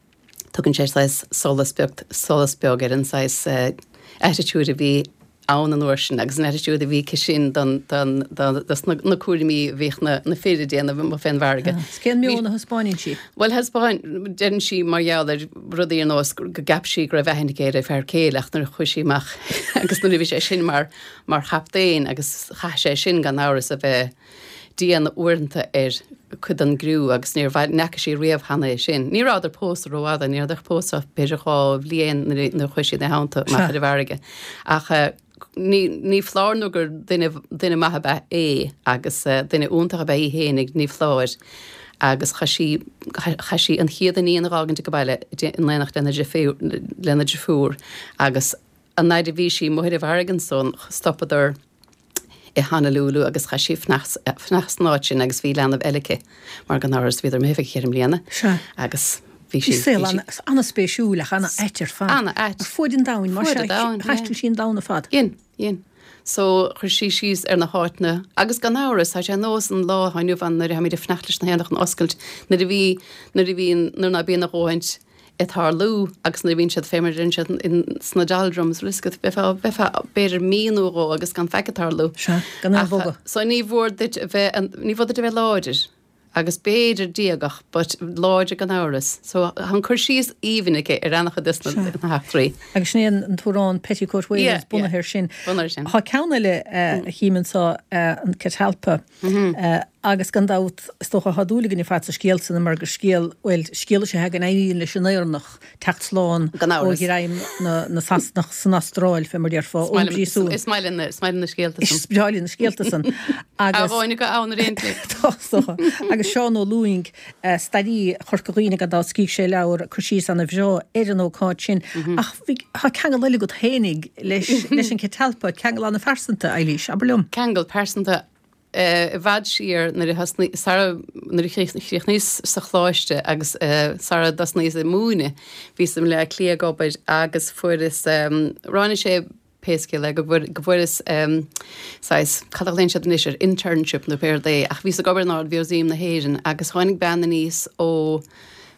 tugann sé saghas solas beag, solas beag ar an saghas attitude a bhí ann an uair sin agus an attitude a bhí aici sin don, don, don, dos na, na cúraimí a bhíodh na, na fir ag déanamh amuigh fén bhfarraige. Is cén meon a thaispeáineann sí? Bhuel thaispeáin, deireann sí mar gheall ar rudaí ar nós go gceap sí go raibh aithne aici ar a fear céile ach nuair a chuaigh sí amach agus nuair a bhí sé sin mar, mar chaptaen agus chaith sé sin gan amhras a bheith dian uaireanta ar cuid den gcriú agus níor bhain, ní fhaca sí riamh cheana é sin. Ní rabhadar pósta rófhada, ní rabhadar pósta ach b'fhéidir 2 bhliain nuair a chuaigh sí ina theannta amach ar an bhfarraige. Ach ní, ní foláir nó gur duine, duine maith ab ea é agus duine iontach ab ea í fhéinig, ní foláir. Agus chaith sí, chaith sí an chéad iníon a dh'fhágaint ag baile in éineacht lena deirfiúr, lena deirfiúr agus an fhaid a bhí sí amuigh ar an bhfarraige ansan, stopadar, i Honolulu agus chaith sí fanacht san áit sin agus bhí leanbh eile aici mar gan amhras bhíodar imithe feadh cheithre mbliana Sea. agus bhí sí, Bhí saol bhí sí. an-spéisiúil ach an-ait ar fad. An-ait. Ar fuaid an domhain, mar Fuaid sea, an domhain, yeah. thaistil sí an domhan ar fad. Dhein, dhein. So chuir sí síos ar na háiteanna agus gan amhras tá sé ar nós an lá atá inniu ann nuair a tháimid ag fanacht leis na héanacha an oscailt nuair a bhí, nuair a bhíonn, nuair ná bíonn a dhóthaint ag tarlú agus nuair a bhíonn siad fé mar a deireann siad in sna doldrums bhfuil a fhios agat bheifeá bheifeá b'fhéidir mí nó dhó agus gan faic ag tarlú. Sea, gan aon Ach bhogadh. so ní mhór duit a bheith ní mhór duit a bheith láidir agus b'fhéidir díogach but láidir gan amhras. So tá an cur síos aoibhinn aici ar an-chuid de Sea. na heachtraí. Agus sin é an t-amhrán Petticoat Yeah, Wailers bunaithe yeah. air sin. Bunaithe air sin. Tá ceann eile a chím anseo, an Catalpa. Agus gan dabht, is dócha, tá dúil againn ar fad sa scéal san mar gur scéal, bhuel, scéal is ea é go n-éiríonn leis an Éireannach teacht slán Gan ó amhras. ghreim na Sasanach san Astráil, fé mar déarfá, Is ón maith liom, bpríosún. is maith linn na, is maith linn na scéalta san. Is breá linn na scéalta san. Agus. Agus. Amháin go ann ar aon tslí. Tá, is dócha. Agus Seán Ó Lúing, staraí Chorca Dhuibhne, gan dabht, scríobh sé leabhar, cur síos ana-bhreá ar an ócáid sin. Ach bhí, tá ceangal eile agat fhéinig leis, leis an Catalpa, ceangal ana-phearsanta, Eilís, abair liom. Ceangal pearsanta. I bhfad siar nuair a thosnaigh, sara, nuair a chríochnaíos sa choláiste agus sara dtosnaíos ag múineadh, bhíos i mBleá Cliath ag obair agus fuaireas, ráinig sé pé scéal é, go bhfuair, go bhfuaireas saghas, cad a ghlaonn siad anois air, internship nó pé rud é, ach bhíos ag obair in Ard-Mhúsaem na hÉireann agus tháinig bean aníos ó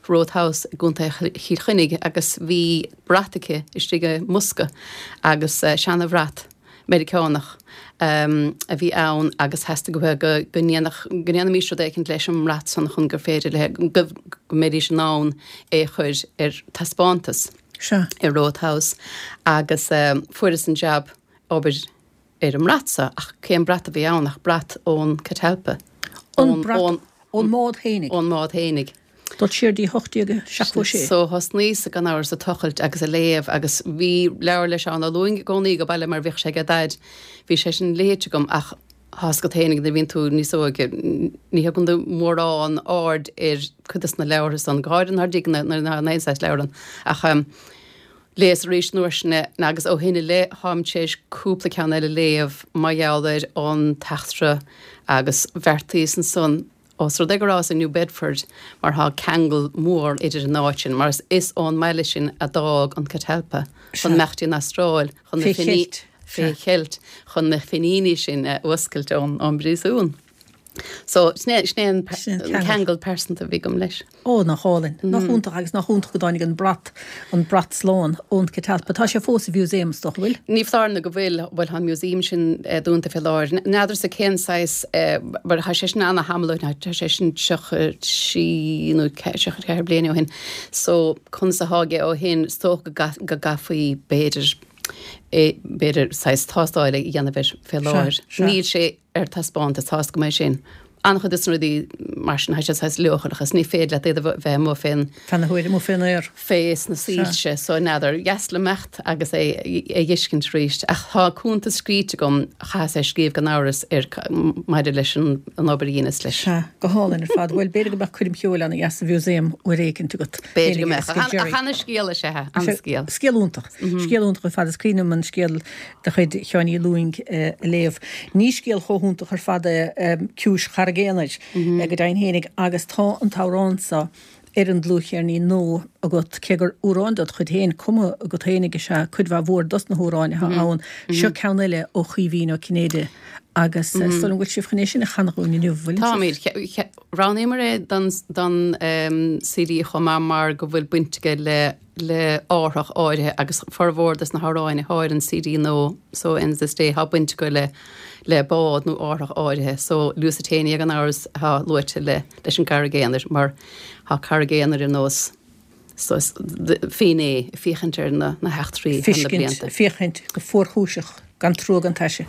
Rothe House i gContae Chill Chainnigh agus bhí brat aici istigh i mbosca agus seana-bhrat. Meiriceánach a bhí ann agus theastaigh uaithi go go ndéanfadh go ndéanfaimis rud éicint leis an mbrat san chun gur féidir léi go go mbeidís in ann é a chur ar taispeántas Sea. i Rothe House agus fuaireas an jab obair ar an mbrat so ach cén brat a bhí ann ach brat ón Catalpa. An brat ón mbád fhéinig. Ón mbád fhéinig. Dul siar dtí 1876. So thosnaíos gan amhras ag tochailt agus ag léamh agus bhí leabhar le Seán Ó Lúing i gcónaí ag baile mar bhíodh sé ag Daid. Bhí sé sin léite agam ach tá 'fhios agat fhéinig nuair a bhíonn tú níos óige ní thugann tú mórán aird ar cuid de na leabhartha san, go háirithe nuair dtig nuair ná aon saghas leabhar ann. Ach léas arís an uair sin é agus ó shin i leith táim tar éis cúpla ceann eile a léamh mar gheall ar an t-eachtra agus bheartaíos ansan Ós rud é go rabhas i New Bedford, mar tá ceangal mór idir an áit sin, mar is ón mbaile sin a d'fhág an Catalpa chun imeacht dtí an Astráil chun na Fé cheilt. fé cheilt, chun na Fíníní sin a fhuascailt ón bpríosún. So, sin é, sin é an Sin an ceangal. ceangal pearsanta a bhí agam leis. Ó, nach álainn. Nach iontach agus nach iontach go dtáinig an brat, an brat slán ón Catalpa. Tá sé fós sa mhúsaem, is dócha, bhfuil? Ní foláir nó go bhfuil, bhuel tá an museum sin dúnta fé láthair. N'fheadarsa cén saghas, mar tá sé sin ana-thamall ó shin, tá sé sin 33 nó 34 bliain ó shin. So, conas atá aige ó shin, is dócha go gcaithfí b'fhéidir, b'fhéidir saghas tástáil a dhéanamh air fé láthair. Níl sé ar taispeántas, tá 'fhios agam é sin. An-chuid de na rudaí mar sin, tá siad saghas leochaileach is ní féidir leat iad a bheith amuigh fén. Fé na huaire, amuigh fén aer. Fé sna soilse, so n'fheadar. Dheas liom imeacht agus é a dh'fheiscint arís. Ach tá cuntas scríte agam, chaitheas é a scríobh gan amhras, ar maidir leis an obair a dheineas leis. Sea, go hálainn ar fad. Bhuel, b'fhéidir go mbeadh coirm cheoil ana-dheas sa mhúsaem uair éicint agat. B'fhéidir go mbeadh. Ach ana-scéal is ea é, ana-scéal. Scéal iontach. Scéal iontach ar fad. Is cuimhin liom an scéal de chuid Sheáin Uí Lúing a léamh. Ní scéal chomh hiontach ar fad é Ciumhais Charraig Aonair, go deimhin fhéinig, agus tá an t-amhrán seo. Ar an dlúthcheirnín nua agat, cé gur amhráin dod chuid féin, cumtha agat féinig is ea cuid mhaith mhór dos na hamhráin atá ann. Seo ceann eile ó Chaoimhín Ó Cinnéide agus is dóigh liom go bhfuil sibh chun é sin a chanadh dhúinn inniu, bhfuil sibh? Táimid. Roghnaíomar é don CD chomh maith mar go bhfuil baint aige le le árthach áirithe agus formhór dos na hamhráin atá ar an CD nua So Ends This Day tá baint acu le le bád nó árthach áirithe so Lusitania gan amhras atá luaite le leis an gCarraig Aonair mar tá Carraig Aonair ar nós finné ag féachaint ar na na heachtraí thar na blianta. Féachaint go fuarchúiseach gan trua gan taise.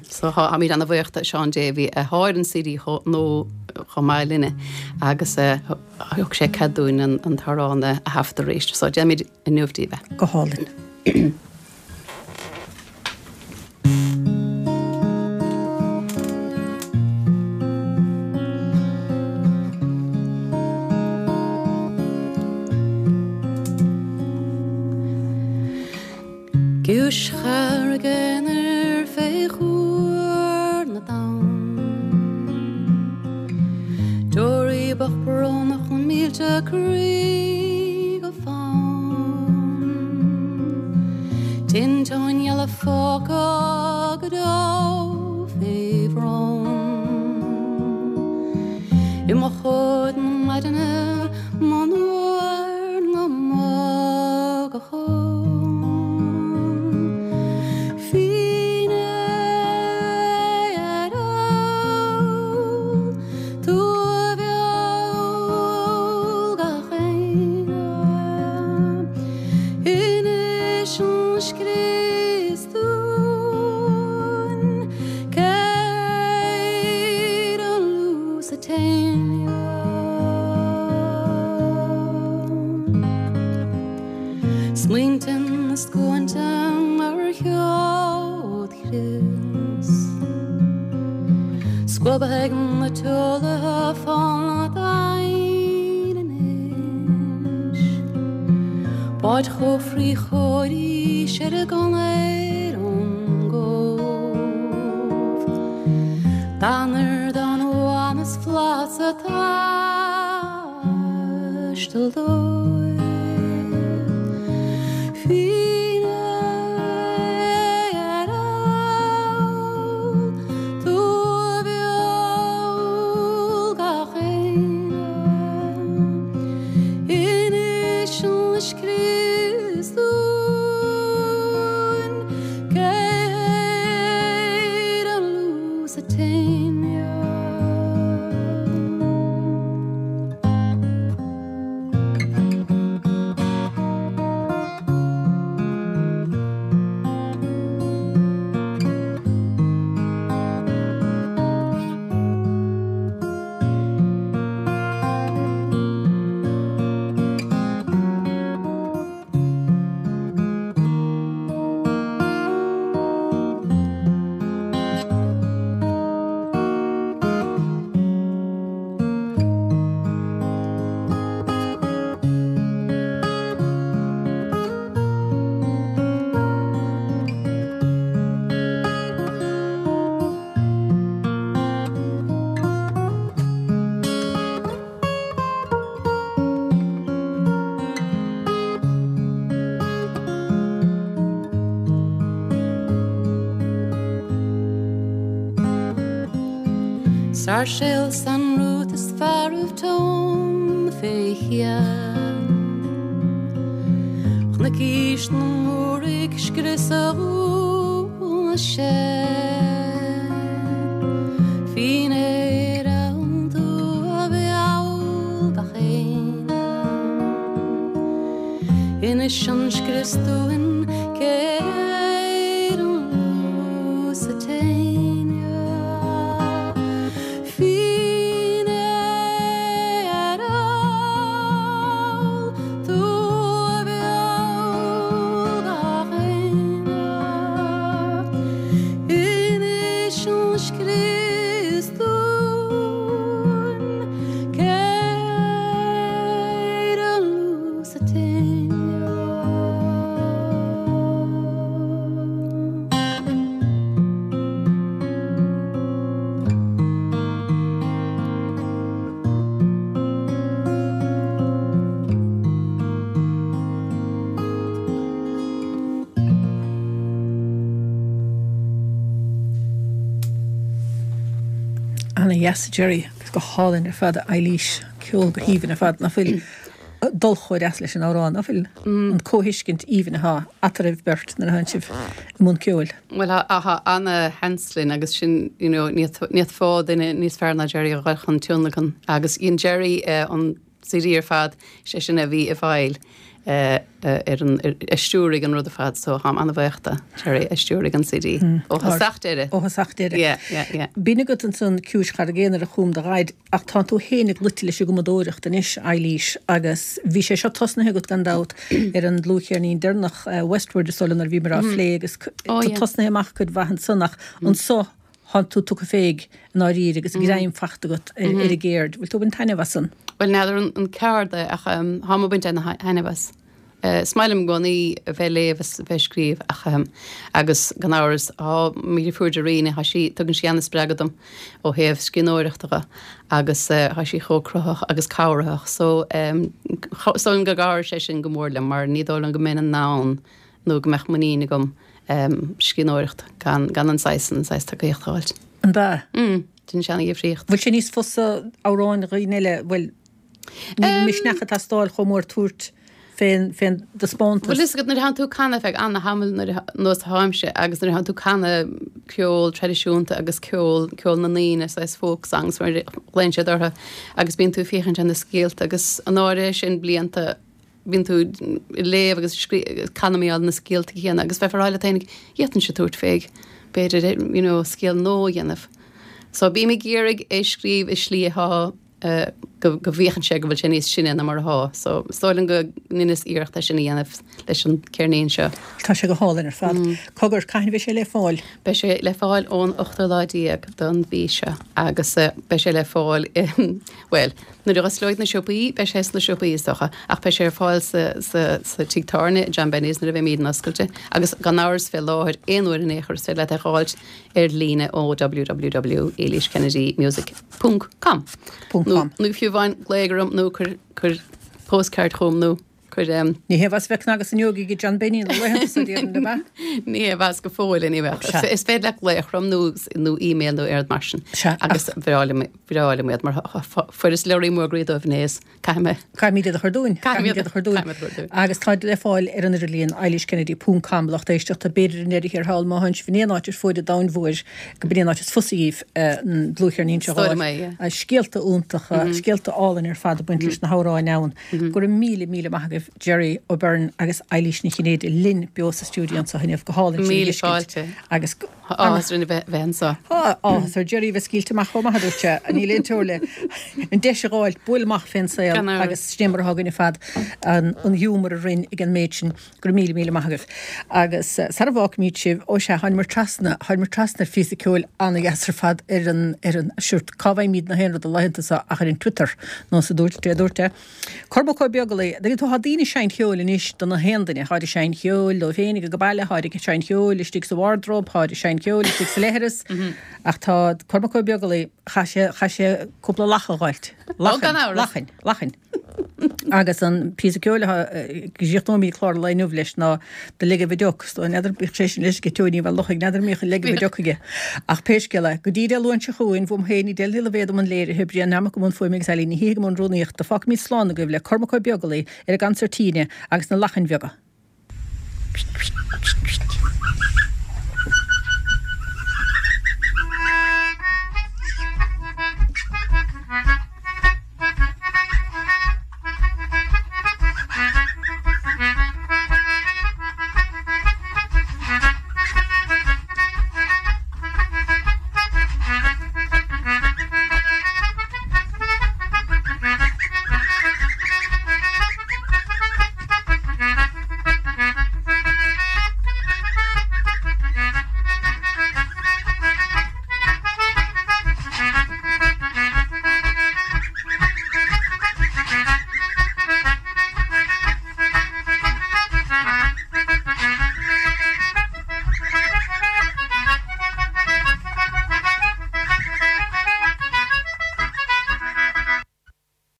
So táimid ana bhuíoch de Seán Davey atá ar an CD nua chomh maith linne agus thug sé cead dúinn an t-amhrán a thaifeadadh arís. So déanfaimid inniu daoibh é. Go hálainn. Giúis Charraig Aonair fé chuar na dtonn. Deoraí bocht brónach na mílte croí go fann. Tinteáin gheala fágtha go deo fé bhrón. I mochóid na maidine monuar na mbágachán. Finné ar ól tú a mheall gach éinne. Inis an scrios dúinn cé ar an Lusitania. Smaointe na scuainte mar sheod chrios. Scuabtha ag na teolaithe fána dteine anois. Báid chófraí chóirí ar a gconair ón gCóbh. D'anair don bhain is flas atá. Taisteal dóibh. Finné ar ól tú a mheall gach éinne. Inis an scrios dúinn cé ar an Lusitania. Sáirséal San Ruth is fearaibh tóin fé cheann. Chonaic aois na Múraigh scriosadh na sean. Finné ar ól tú a mheall gach éinne. Inis an scrios dúinn cé ar an Lusitania. Finné ar ól tú a mheall gach éinne. Inis an scrios dúinn cé ar an Lusitania. Ana-dheas, a Jerry, agus go hálainn ar fad, a Eilís. Ceol go haoibhinn ar fad, nach bhfuil dul chomh deas leis an amhrán, nach bhfuil an comhthuiscint aoibhinn atá eatarthu beirt nuair atánn sibh i mbun ceoil. Bhuel, tá ana-sheans linn agus sin, you know, ní fhéadfá duine níos fearr ná Jerry a dhul chun tionlacan agus dhein Jerry an CD ar fad, seisean a bhí i bhfeighil ar an, a stiúraigh an rud ar fad so táim an-bhuíoch de Jerry a stiúraigh an CD ó thosach deireadh. Ó thosach deireadh. Yeah, yeah, yeah. B'in agat ansan Ciumhais Charraig Aonair a chum do Dhaid ach tánn tú fhéinig luite leis an gcumadóireacht anois, Eilís, agus bhí sé seo tosnaithe agat gan dabht ar an dlúthcheirnín deireanach Westward is dóigh liom nuair a bhíomar á phlé agus tá tosnaithe amach cuid mhaith ansan ach anso Thánn tú tugtha féig i ndáiríre agus greim fachta agat ar an gceird. Bhfuil tú ag baint taitneamh as san? Bhuel, n'fheadar an ceard é ach táim ag baint ana-thaitneamh as. Is maith liom i gcónaí a bheith ag léamh is a bheith ag scríobh ach agus gan amhras tá mo dheirfiúr Darina, tá sí, tugann sí ana-spreagadh dom ó thaobh scríbhneoireachta dhe agus tá sí chomh cruthaitheach agus cabhraitheach so is dóigh liom go gcabhraigh sé sin go mór liom mar ní dóigh liom go mbeinn in ann nó go mbeadh muinín agam scríbhneoireacht gan gan an saghas an saghas tacaíocht a fháilt. An ea? Mm, déanann sé ana-dhifríocht. Bhfuil sé níos fusa amhráin dhaoine eile, bhuel, níl an misneach ag teastáil chomh mór tabhairt fén fén dtaispeántas. Bhuel, fhios agat nuair a thánn tú ag canadh feadh ana-thamaill nuair a nós atáimse agus nuair a thánn tú ag canadh ceol traidisiúnta agus ceol ceol na ndaoine saghas folk songs mar a ghlaonn siad orthu agus bíonn tú ag féachaint ar na scéalta agus an áirithe sin blianta bíonn tú ag léamh agus ag scríobh agus canadh mar gheall na scéalta céanna agus bheifeá ag rá leat féinig, d'fhéadfainnse tabhairt féig, b'fhéidir, you know, scéal nua a dhéanamh. So bím ag iarraidh é scríobh i slí atá go go bhféachann sé go bhfuil sé níos sine ná mar atá. So is dóigh liom go ndeineas iarracht é sin a dhéanamh leis an ceirnín seo. Tá sé go hálainn ar fad. Cogar, cathain a bheidh sé le fáil? Beidh sé le fáil ón ochtú lá déag don mhí seo agus beidh sé le fáil i, bhuel, Nuair a dh'osclóidh na siopaí, beidh sé sna siopaí is dócha, ach beidh sé ar fáil sa, sa, sa tigh tábhairne, John Benny's nuair a bheimíd oscailte, agus gan amhras fé láthair aon uair in aon chor is féidir leat é dh'fháilt ar líne ó www.eilískennedymusic ponc com. Ponc com. Nó fiú amháin glaoigh orm nó cuir, cuir postcard chugam nó. Cuir em. Ní hé bheas bheith cnagas an iógaí ag John Benny na laethanta so déarfainn, ab ea? Ní hé bheas go fóill anyway. Sea. Is féidir leat glaoch orm nó nó email nó aon rud mar sin. Sea, Agus bhreá liom bhreá liom iad mar fuaireas leoraí mór groí dóibh inné is caithfidh mé. Caithfimid iad a chur dúinn. Caithfimid iad a chur dúinn. Caithfimid iad a chur dúinn. Agus táid le fáil ar an idirlíon, eilískennedy ponc com, lucht éisteachta, b'fhéidir i ndeireadh thiar thall má thánn sibh in aon áit ar fuaid an domhain mhóir, go b'in é an áit is fusa dhíbh an dlúthcheirnín seo a Is dóigh liom é, yeah. Scéalta iontacha, scéalta álainn ar fad ag baint leis na hamhráin ann. Go raibh míle, míle maith agaibh Jerry O'Beirne agus Eilís Ní Chinnéide linn beo sa stiúideo anseo inniu. Go hálainn sibh a Míle fáilte. Agus Tá áthas orainn a bheith bheith anseo. Tá áthas ar Jerry a bheith scaoilte amach chomh maith, a dúirt sé. Níl aon teora le an deis a dh'fháilt bualadh amach fén saol Gan amhras. agus sin é mar atá againn ar fad an an ghiúmar a roinn ag an méid sin. Go raibh míle, míle maith agaibh. Agus sara bhfágfaimid sibh, ó sea, tháinimar trasna, tháinimar trasna ar phíosa ceoil ana-dheas ar fad ar an, ar an, sure, cá bhfaighimid na haon rud na laethanta seo ach ar an Twitter, nós a dúirt, dé dúirt é. Cormac Ó Beaglaoi, dtuigeann tú, tá daoine ag seinnt cheoil anois do na haon duine, táid ag seinnt cheoil dóibh féinig ag baile, táid ag seinnt cheoil istigh sa wardrobe, táid ag seinnt cheoil istigh sa leithreas, ach tá Cormac Ó Beaglaoi, chaith sé, chaith sé cúpla lacha a dh'fháilt. Ó, gan amhras. Lachain, lachain. Agus an píosa ceoil atá go gcríochnóimid clár an lae inniu leis ná The Leg of a Duck. So n'fheadar bíodh sé sin leis ag Tony bheith luchaigh, n'fheadar an mbíodh an leg of a duck aige. Ach pé scéal é, go dtí Dé Luain seo chugainn, uaim féin, Edel Ní Loibhéad i mbun léirithe, Brian Nammock i mbun fuaime agus Eileen Ní Shíthigh i mbun rúnaíochta, fágfaimid slán agaibh le Cormac Ó Beaglaoi ar an gconsairtíne agus na lachain bheaga.